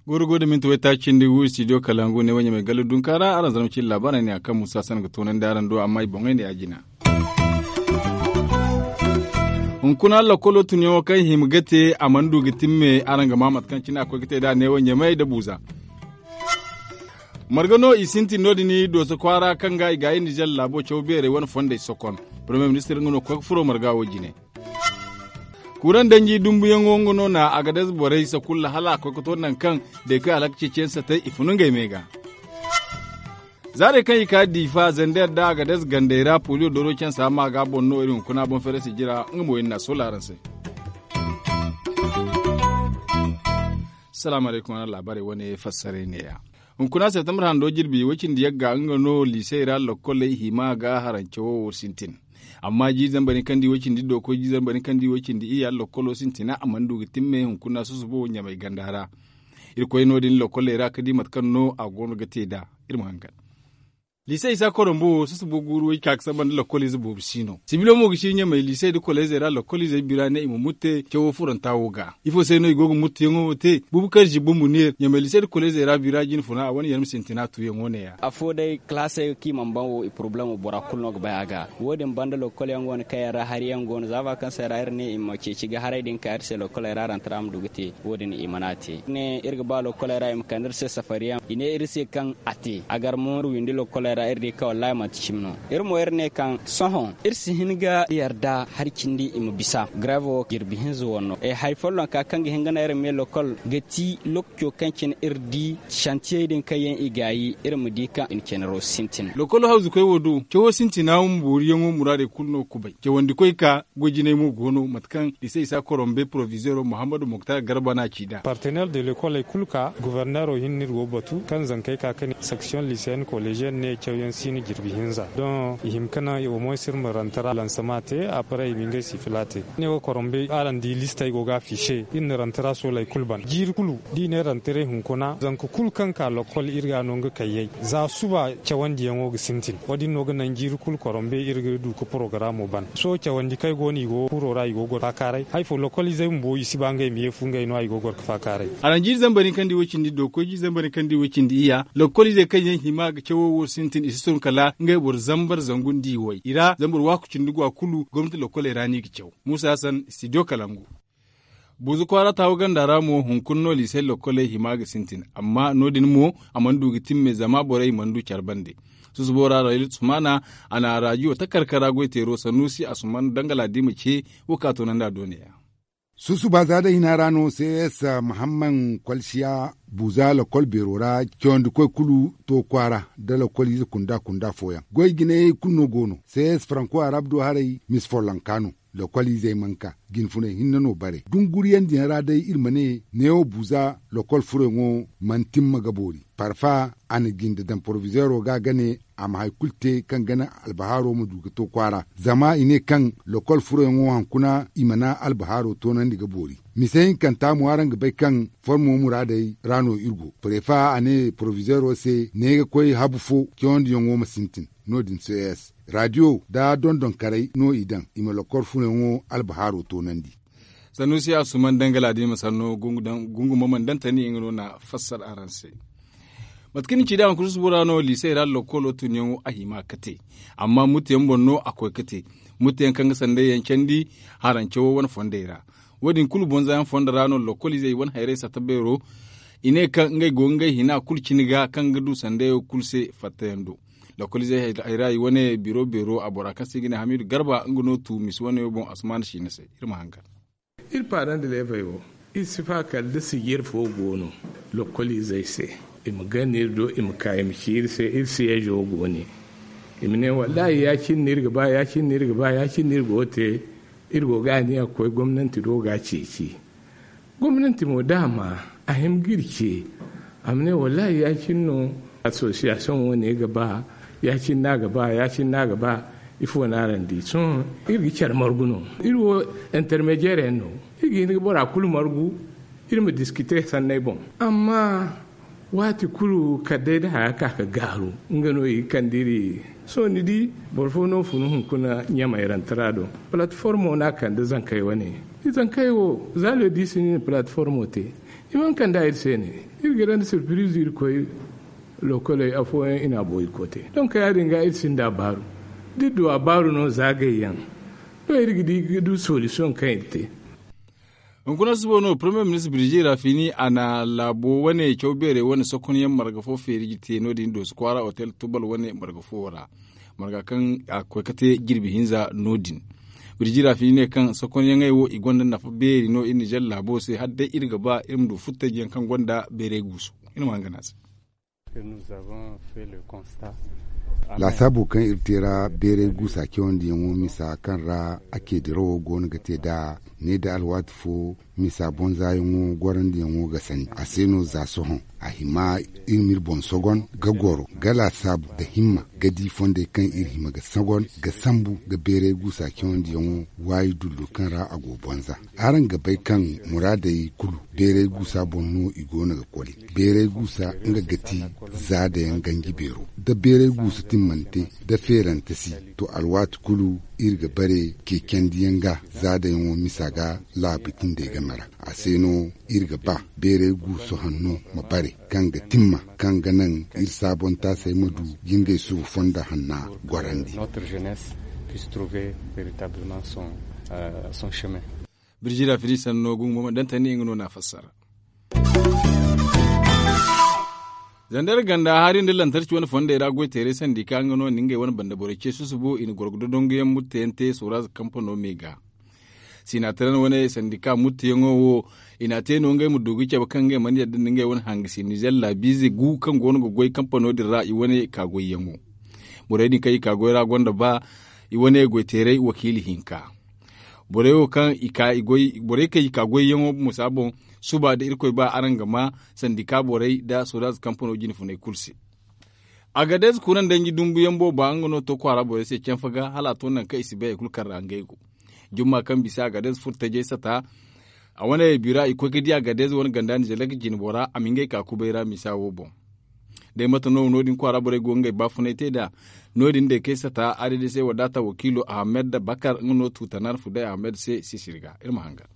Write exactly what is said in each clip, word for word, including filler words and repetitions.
Goro go da minti waytaaci cindi gu studio kalangu ne wanya mai galo dunka ra araŋ zarma cindi laabaarey ne a kaŋ musa san ga toonandi araŋ do amma i boŋey ne ya jina. Hunkuna lakkolo tunyaŋo kaŋ hima ga te a mana du ga timme araŋ ga ma mate kaŋ cine a koy ga te nd'a neewo ɲamey nda buuza. Marga no i sintin no- din dooso kwaara kaŋ ga i gaayi nizer laabo caw beerey wane fondey sokon. Parmiye ministir nga no ga koy ga furo marga wo jine. Kuuraŋ danji dumbuyaŋo nga no na agadez borey sakulla hala a koy ga to nangu kaŋ day kaŋ alhaka ceeciyaŋ satay i fun ngey me ga. Zaarey kaŋ i ka diifa zander nda agadez gandey ra poliyo dooro cansa ma ga boŋ no iri hunkuna boŋ feerasi jira nga mo iri n'a soola araŋ se. Salaamu alaykum araŋ laabaarey wane fassaray neeya. Hunkuna septembre hando jirbi way cindi yagga nga no liisey ra lokkoley hima ga harance wo sintin. Amma jiiri zambar ni kaŋ di way cindi dooko jiiri zambar ni kaŋ di way cindi iyya lokkolo sintina a mana du ga timme hunkuna susubo ɲamay ganda ra. Iri koy no- din lokkoley ra ga di mate kaŋ no a go no ga te nd'a. Iri ma hangan. Liise isa korombo wo susubo guuru way ka ga samba nda lokkoliize boobo si no sibilo mo ga ci ɲamay liisey nda koleezey ra lokkoliizey bira ne i ma mutte cawo furanta wo ga. Ifo se no i go ga mutteyaŋo wo te? Bubukar zibbo munir ɲamay liisey nda koleezey ra bira jine funa a wane yarma sintina tuuyaŋo neeya. Afo day kalaasey kaŋ i mana ban wo i porobalemo bora kulu no ga bay a ga. Wo- din banda lokkolyaŋ go no kaŋ yaŋ ra hariyaŋ go no za ba kaŋ se ra iri ne i ma ceeci ga haray din ka iri se lokkoley ra rantara ma du ga te. Wo- din i mana te ne iri ga ba lokkoley ra i ma kande iri se safariyaŋ i ne iri se kaŋ a te a gar mo iri windi lokkoley ra iri di kaŋ wallahi manti cimi no. Iri mo iri ne kaŋ sohõ iri si hin ga yarda hari cindi i ma bisa grave wo jirbi hinza wanno hari follonka kaŋ ga hin ga naŋ iri ma ye lokkol ga ti lokaco kaŋ cine iri di santiyey din kaŋ yaŋ i gaayi iri ma di kaŋ i na canaro sintin. Lokkolo hawzukoy wo do cawo sintina wo ma booriyaŋo muraadey kulu no ga kubay cawandikoy ka goy jinay mo go no mate kaŋ liise isa korombe porovizeero muhammadu muktar garba no a ci nd'a. Parteneer de lekoley kulu ka goforneero hinne no iri go ga batu kaŋ zankey ka ga ne seksiyoŋ liiseyen koleziyen ne cawyaŋ si no jirbi hinza doŋ i hima ga naŋ omoyes iri ma rantara lansama te après i ma ngey sifila te. Ne wo korombe araŋ di listey go ga afiise iri na rantara sooley kulu ban jiiri kulu da i ne rantara hunkuna zanka kulu kaŋ ka lokol iri ga no nga kayyey za suba cawandiyaŋo ga sintin wo- din no ga naŋ jiiri kulu korombe iri ga du ga porogaramo ban sohõ cawandi kaŋ ay go no i go ga furo ra i go ga goro ga faakaaray hari fo lokoliizey bumbo i si ba ngey ma ye fu ngey no a i go ga goro ga faakaaray. Araŋ jiiri zambar ni kaŋ di way cindi do koy jiiri zambar ni kaŋ di way cindi iyya lokoliizey kaŋ yaŋ hima ga cawo wo sintin i si tun kala ngey boro zambar zangu nda i way i ra zambar waaku cindi go a kulu gomnati lokoley ra no i ga caw. Muusa hassan studio kalangu. Buuzu kwaara taawu ganda ra mo hunkuna no liisey lokkoley hima ga sintin amma no- din mo a mana du ga timme zama borey mana du care bande. Susubo ra rayil sumana a na raajiyo takarkara goyteero sanuusi asuman dangala di ma ce wo ka toonandi a do neeya. Susuba za day hina ra no cs mahamman kwalsiya buuza lokol beero ra cawandikoy kulu to kwaara nda lokoliize kunda kunda fooyaŋ goy jinayey kulu no go no cs faranko arab do haray misi follonka no. Lokoliizey mana ka jinfunay hinne no bare dunguriyaŋ din ra day iri ma ne neewo buuza lokol furayŋo mana timma ga boori. Parfa a na jinde daŋ porovizeero ga ga ne a ma hari kulu te kaŋ ga naŋ albahaaro ma du ga to kwaara zama i ne kaŋ lokol furayŋo hunkuna i mana albahaaro toonandi ga boori. Mise hinkanta mo araŋ ga bay kaŋ formo muraadey ra no iri go prefa a ne porovizeero se ne ga koy habu fo cawandiyaŋo ma sintin. No- din cs raadiyo nda dondonkarey no i daŋ i ma lokol furayŋo albahaaro toonandi. Sanusi asuman dangala da i ma sanno gungu ma mana daŋ tani nga no na fassar araŋ se. Mate kaŋ ni ci da hunkuna susubo ra no liisey ra lokkolo tunyaŋo a hima ga te. Amma mutteyaŋ boŋ no a koy ga te. Mutteyaŋ kaŋ ga sanday yaŋ candi harance wo wane fondey ra. Wo- din kulu bonza yaŋ fondo ra no lokkoliizey wane hayray sata beero. I ne kaŋ ngey go ga ngey hina kulu cine ga kaŋ ga du sandayo kulu se fattayaŋ do. Lokkoliizey hayra i wane biro beero a bora kaŋ se i ga ne hamidu garba nga no tu misi wane wo boŋ asuman siina se. Iri ma hangan. Iri paaraŋ da leebey wo iri si fa kala da sijir fo go no lokkoliizey se. I ma gana iri do i ma ka i ma ci iri se iri siyeezo go ne. I ma ne wallahi ya- cine no iri ga ba ya- cine no iri ga ba ya- cine no iri go ga te. Iri go ga aniya ga koy gomnanti do ga ceeci. Gomnanti mo da a ma a hima ga iri ce. A ma ne wallahi ya- cine no asosiyasiyoŋ wo- ne ga ba ya- cine no a ga ba ya- cine no a ga ba. Ifo no araŋ di sohõ iri ga care margu no. Iri wo intermediyeer yaŋ no. Iri ga hin ga bora kulu margu iri ma diskite sanney boŋ. Amma Waati kulu kala day da haya ka ga gaaru, nga no i ga kande iri. Sohõ ni di, boro fo no funu hunkuna ɲamay rantara do. Palatformo no a kande zankey wane. Zankey wo za le diisi no i na palatformo te. I mana kande a iri se ne. Iri ga daŋ da sirpiriizo iri koy lokoley afooyaŋ i na a boori koote. Donk ya- din ga iri sinda a baaru. Da iri du a baaru no za gayyaŋ, no iri ga di ga du solisiyoŋ kaŋ iri te. Hunkuna suba no premier ministre birji rafini a na laabo wane caw beerey wane sokonyaŋ marga fo feeri ga te no- din dooso kwaara hotel tubal wane marga fo ra. Marga kaŋ a ga koy ga te jirbi hinza no- din. Birji rafini ne kaŋ sokonyaŋey wo i gonda nafa beeri no iri nizer laabo se hala day iri ga ba iri ma du furtajiyaŋ kaŋ gonda beerey guusu. Iri ma hangan a se. Laasaabo kaŋ iri te ra beeray guusa cawandiyaŋo misa kaŋ ra a ce dirawo go no ga te nd'a ne da alwaati fo misa bonzaayaŋo gorandiyaŋo ga sandi a se no za sohõ. A hima iri ma iri boŋ sogon ga goro ga laasaabu nda himma ga di fondey kaŋ iri hima ga sogon ga sambu ga beeray guusa cawandiyaŋo waayi dullu kaŋ ra a go bonza. Araŋ ga bay kaŋ muraadey kulu beeray guusa boŋ no i go no ga koli. Beeray guusa nga ga ti zaadayaŋ ganji beero da beeray guusa timmante da feerante si. To alwaati kulu iri ga bare ceecandiyaŋ ga zaadayaŋo misa ga laabu cindey game ra. A se no iri ga ba beeray guusa hanno ma bare kaŋ ga timma kaŋ ga naŋ iri saabontaasey ma du ga ngey suba fonda hanna gorandi. Birjira firi sanno gungu ma dantani nga no na fassara. Zandar ganda hari nda lantarki wane fondey ra goy teeray sandi ka nga no ni ngey wane banda borey ce susubo i na gorgo dodongo yaŋ mutteyaŋ te soraz kampano me ga. Sinataran wane sandi ka mutteyaŋo wo i na te no ngey ma du ga cabe kaŋ ngey mana yadda nda ngey wane hangasi nizer laabiize gu kaŋ go no ga goy kampano din ra i wane ka goyyaŋo. Borey din kaŋ i ka goy ra gonda ba i wane goy teeray wakiili hinka. Borey wo kaŋ i ka i goy borey kaŋ i ka goyyaŋo musa boŋ. Suba da irkoy ba araŋ ga ma sandika borey nda soraz kampano jine funay kulu se. Agadez kuna nda nji dumbuyaŋ booba nga no to kwaara borey se canfa ga hala a to nangu kaŋ i si bay hari kulu kaŋ ra ngey go. Jumma kaŋ bisa agadez furo tajey sata a wane bira i koy ga di agadez wane ganda ni zalak jine bora a ma ngey ka kubay ra misa wo boŋ. Day mate no no- din kwaara borey go ngey baafunay te nd'a. No- din day kay sata adadisey wadaata wakiilo ahmed bakar nga no tu tanar fuday ahmed se sisiri ga iri ma hangan.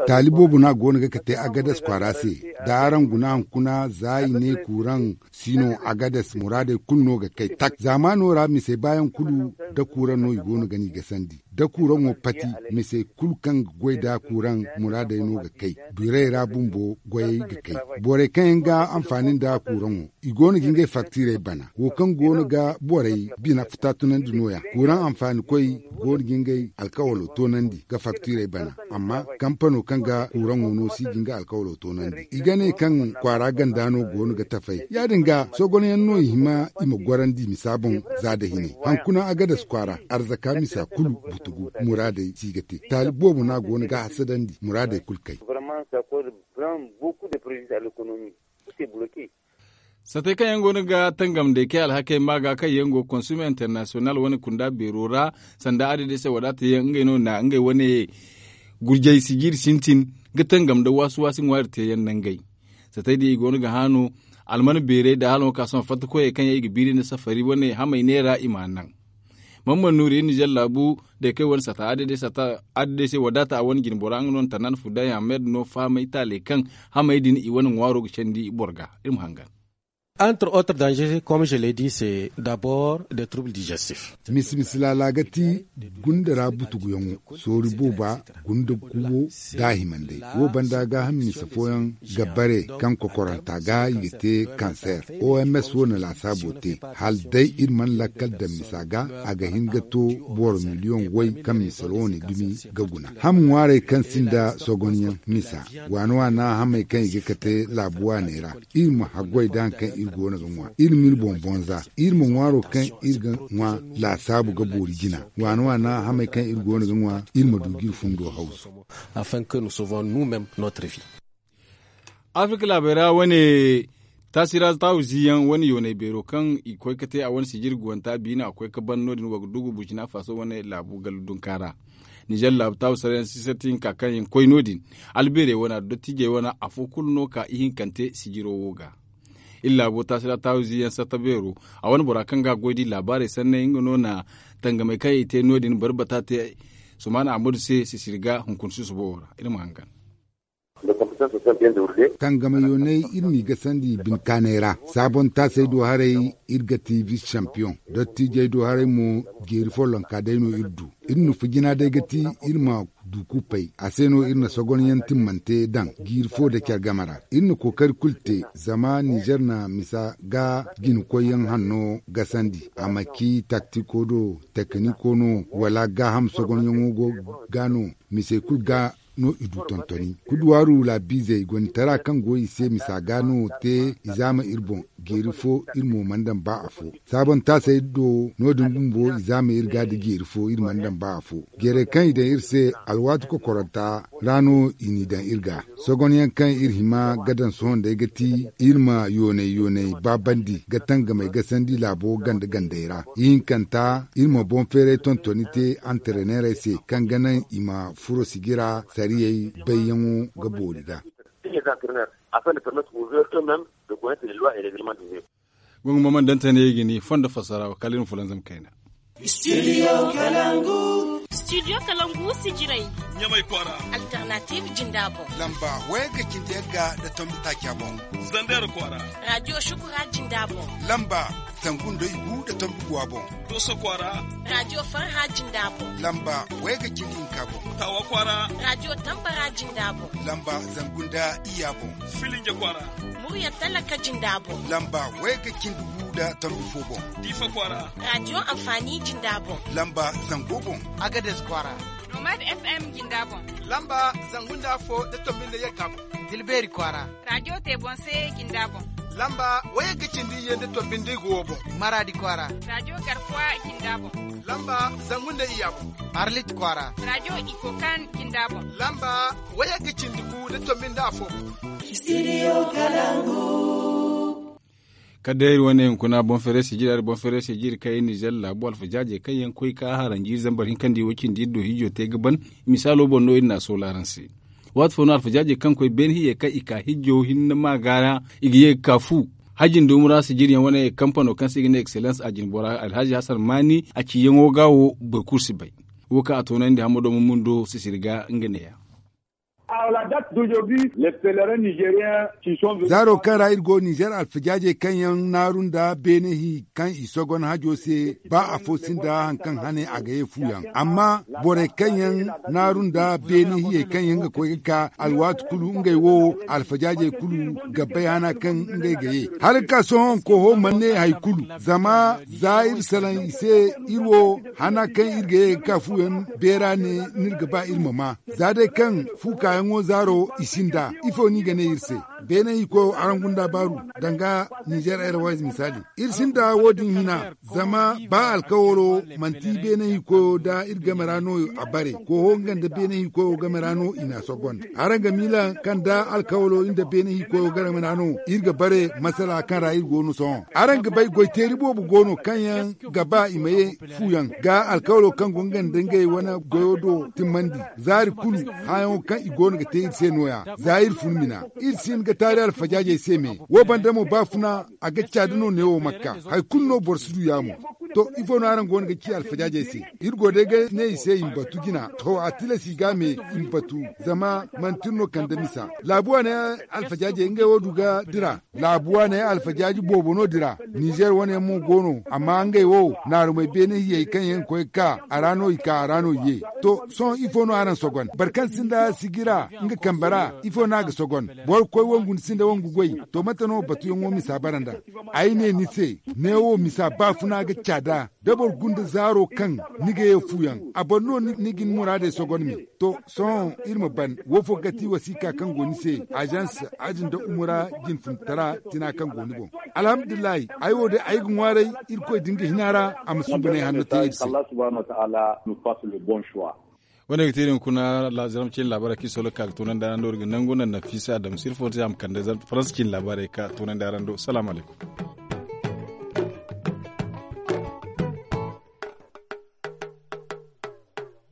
Taali boobo no a go no ga kate agades kwaara se. Da araŋ guna hunkuna za i ne kuuraŋ si no agades muraadey kulu no ga kay tak zaamaano ra misey baayaŋ kulu da kuuraŋ no i go no ga no i gasandi da kuuraŋo pati. Misey kulu kaŋ ga goy da kuuraŋ muraadey no ga kay. Birey ra bumbo goyey ga kay. Borey kaŋ yaŋ ga anfaani nda kuuraŋo i go no ga ngey faktiirey bana wo kaŋ go no ga borey bina futa tunandi no- ya kuuraŋ anfaanikoy go no ga ngey alkawalo toonandi ga faktiirey bana. Amma kampano kaŋ ga kuuraŋo no si ga nga alkawalo toonandi i ga ne kaŋ kwaara ganda no go no ga tafay ya- din ga sogonyaŋ no i hima i ma gorandi misa boŋ. Za da hinay hankuna agades kwaara arzaka misa kulu butugu muraadey si ga te taali boobo no a go no ga hasadandi muraadey kulu kay. Satey kaŋ yaŋ go no ga tangam day kay alhakey ma ga kaŋ yaŋ go konsum internasiyonal wane kunda beero ra sanda adadisey wadaata yaŋ ngey no na ngey wane gurjay sijiiri sintin ga tangam nda waasu-waasi ŋwaari teeyaŋ nangey. Satey din i go no ga haanu alman beerey nda hala no ka sohõ fatta koyey kaŋ yaŋ i ga biiri nda safari wane hamey neera i m'a naŋ. Mamman nuuri iri nizer laabu day kaŋ wane sata adadey se wadaata a wane jine bora nga no na tannan fuday ahmed no fahamay taaley kaŋ hamey din i wane ŋwaaro ga candi boro ga. Iri ma hangan. Entre autres dangers comme je l'ai dit c'est d'abord des troubles digestifs. Misi misi laala ga ti gunda ra butuguyaŋo soori booba gunda kubo da a himandey wo banda gaaham misa fooyaŋ ga bare kaŋ kokoranta ga i ga te kanser. Oms wo na laasaabo te hala day iri mana lakkal daŋ misa ga a ga hin ga to boro miliyoŋ way kaŋ misa wo na dumi ga guna. Ham ŋwaarey kaŋ sinda sogonyaŋ misa waana waana hamey kaŋ i ga kate laabu waaney ra. Iri ma haggoy da hari kaŋ iri go no ga ŋwa iri ma iri boŋ bonza iri ma ŋwaaro kaŋ iri ga ŋwa laasaabu ga boori jina waana waana hamey kaŋ iri go no ga ŋwa iri ma du ga iri fundo hawzu. Afin que nous sauvons nous mêmes notre vie. Afirka laabey ra wane taasira taawu ziyaŋ wane yoonay beero kaŋ i koy ga te a wane sijiri guwanta biina a koy ga ban no- din wa ga dugu burkina faso wane laabu gallu dunka ra. Nizer laabu taawu saryaŋ sisarti hinka kaŋ yaŋ koy no- din, albeerey wana da dottiijey wana afo kulu no ka ihinkante sijiro wo ga. Iri laabo taasi ra taawu ziyaŋ sarta beero, a wane bora kaŋ ga a goy di laabaarey sanney nga no na tangamey kaŋ i te no- din bari bata te. Sumaana ahmadu se sisiri ga hunkuna susubo wo ra iri ma hangan. Tangamayooney iri n'i gasandi binkaanay ra. Saabon taasey do haray, iri ga ti vis sampiyoŋ. Dottiijey do haray mo, jeeri follonka day no iri du. Iri nufa jina day ga ti, iri ma du kuupay a se no iri na sogonyaŋ timmante daŋ jiiri fo nda care game ra. Iri na kookari kulu te, zama nizer na misa ga jina koyyaŋ hanno gasandi a ma ci taktiko do, tekiniko no, wala gaaham sogonyaŋo go ga no. Misey kulu ga no i du tontoni kuduwaaru laabiizey gonitara kaŋ go i se misa ga no te. I zaama iri boŋ, jeeri fo iri mo mana daŋ ba afo. Saabon taasey do no- din bumbo i zaama iri ga da jeeri fo iri mana daŋ ba afo. Jeerey kaŋ i daŋ iri se, alwaati kokoranta ra no i n'i daŋ iri ga. Sogonyaŋ kaŋ iri hima ga daŋ sohõ day ga ti, iri ma yoonay yoonay baabandi ga tangamey gasandi laabo ganda gandey ra. Ihinkanta, iri ma boŋ feeray tontoni te antareneerey se kaŋ ga naŋ i ma furo sijira sariyey bayyaŋo ga boori ga. Gongo ma mana dantane ga ni fondo fassara wa kala iri ma fulanzam kayna. Studio kalangu. Studio kalangu sijiray. Ɲamay kwaara. Alternative jinda boŋ. Lamba waya ga cindi yagga da tombi taaca boŋ. Zander kwaara. Radio shukura jinda boŋ. Lamba zangu nda igu da tombi guwa boŋ. Doso kwaara. Radio farha jinda boŋ. Lamba waya ga cindi hinka boŋ. Tawa kwaara. Radio tambara jinda boŋ. Lamba zangu nda iya boŋ. Filinja kwaara. Murya talaka jinda boŋ. Lamba waya ga cindi gu da tombi fo boŋ. Diifa kwaara. Radio amfani jinda boŋ. Lamba zango boŋ. Agades kwaara. Nomad FM jinda boŋ. Lamba zangu nda fo da tombi nda yagga boŋ. Dilbeeri kwaara. Radio te boŋ se jinda boŋ. Lamba waya ga cindi iyye nda tombi nda igu wo boŋ. Maradi kwaara. Radio garkuwa jinda boŋ. Lamba zangu nda iya boŋ. Arlit kwaara. Radio ikokan jinda boŋ. Lamba waya ga cindi gu da tombi nda afo boŋ. Studio kalangu. Kala day iri wane hunkuna boŋ feere sijiri hari boŋ feere sijiri kaŋ iri nizer laabu alfajaajey kaŋ yaŋ koy ka haranji iri zambar hinka nda i wo cindi iri do hijo te ga ban. Misaalo boŋ no iri na a soola araŋ se. Waati fo no alfajaajey kaŋ koy beene hiyey kaŋ i ka hijo hinne ma ga ra i ga ye ga ka fu. Haji nda umura sijiriyaŋ wane kampano kaŋ se i ga ne excellence a jinbora alhaji hasan maani a ciyaŋo ga wo boro kulu si bay. Wo kaŋ a toonandi hamado ma mundo sisiri ga nga neeya. Zaaro kaŋ ra iri go nizer alfajaajey kaŋ yaŋ naaru nda beene hi kaŋ i sogon hajo se ba afo sinda hari kaŋ hane a ga ye fu yaŋ amma borey kaŋ yaŋ naaru nda beene hiyey kaŋ yaŋ ga koy ga ka alwaati kulu ngey wo alfajaajey kulu ga bay hana kaŋ ngey ga ye. Hala ga ka sohõ kooho mana ne hari kulu zama za iri salaŋ i se iri wo hana kaŋ iri ga ye ga ka fu yaŋ beera ne no iri ga ba iri ma maa. Za day kaŋ fu kaayaŋo zaaro i sinda ifo no i ga ne iri se? Beene hikoyo araŋ gunda baaru danga nizer airways misaali. Iri sinda wo- din hina zama ba alkawalo manti beene hikoyo nda iri game ra no a bare kooho nga nda beene hikoyo game ra no i n'a sogon. Araŋ ga miila kaŋ nda alkawalo iri nda beene hikoyo game ra no iri ga bare masala kaŋ ra iri go no sohõ. Araŋ ga bay goyteeri boobo go no kaŋ yaŋ ga ba i ma ye fu yaŋ ga alkawalo kaŋ go nga nda ngey wane goyo do timmandi. Zaari kulu hããyaŋo kaŋ i go no ga te iri se no- ya za iri fun mina. Iri si hin ga taari alfajaajey se me wo banda mo baafuna a ga caadi no neewo makka. Hari kulu no boro si du yaamo. To ifo no araŋ go no ga ci alfajaajey se? Iri go day ga ne i se i ma batu jina to a tilas i ga me i ma batu. Zama manti iri no kande misa laabu wane alfajaajey ngey wo du ga dira. Laabu wane alfajaaji boobo no dira. Nizer wane yaŋ mo go no amma ngey wo naarumey beene hiyey kaŋ yaŋ ga koy ga ka a ra no i ka a ra no i ye. To sohõ ifo no araŋ sogon boro kaŋ sinda sijira nga kambe ra ifo no a ga sogon? Boro ga koy wangu ni sinda wangu goy. To mate no batuyaŋo misa bara nd'a? Ay ne ni se neewo misa baafuna ga caada. Da boro gunda zaaro kaŋ ni ga ye fu yaŋ a boro no ni ga ni muraadey sogon me. To sohõ iri ma ban wo fo ga ti wasiika kaŋ go ni se azans aji nda umura jinfuntara tina kaŋ go ni boŋ. Alhamdulillahi ay wo day ay ga ŋwaaray irkoy da nga hina ra a ma suubanay hanno te iri se. Wane ga te iri hunkuna laazaram cine laabaarey kaŋ iri solo ga ka ga toonandi araŋ do iri ga nangu naŋ nafiisa adama sirfo te a ma kande faransa cine laabaarey ga ka toonandi araŋ do salaamu alaykum.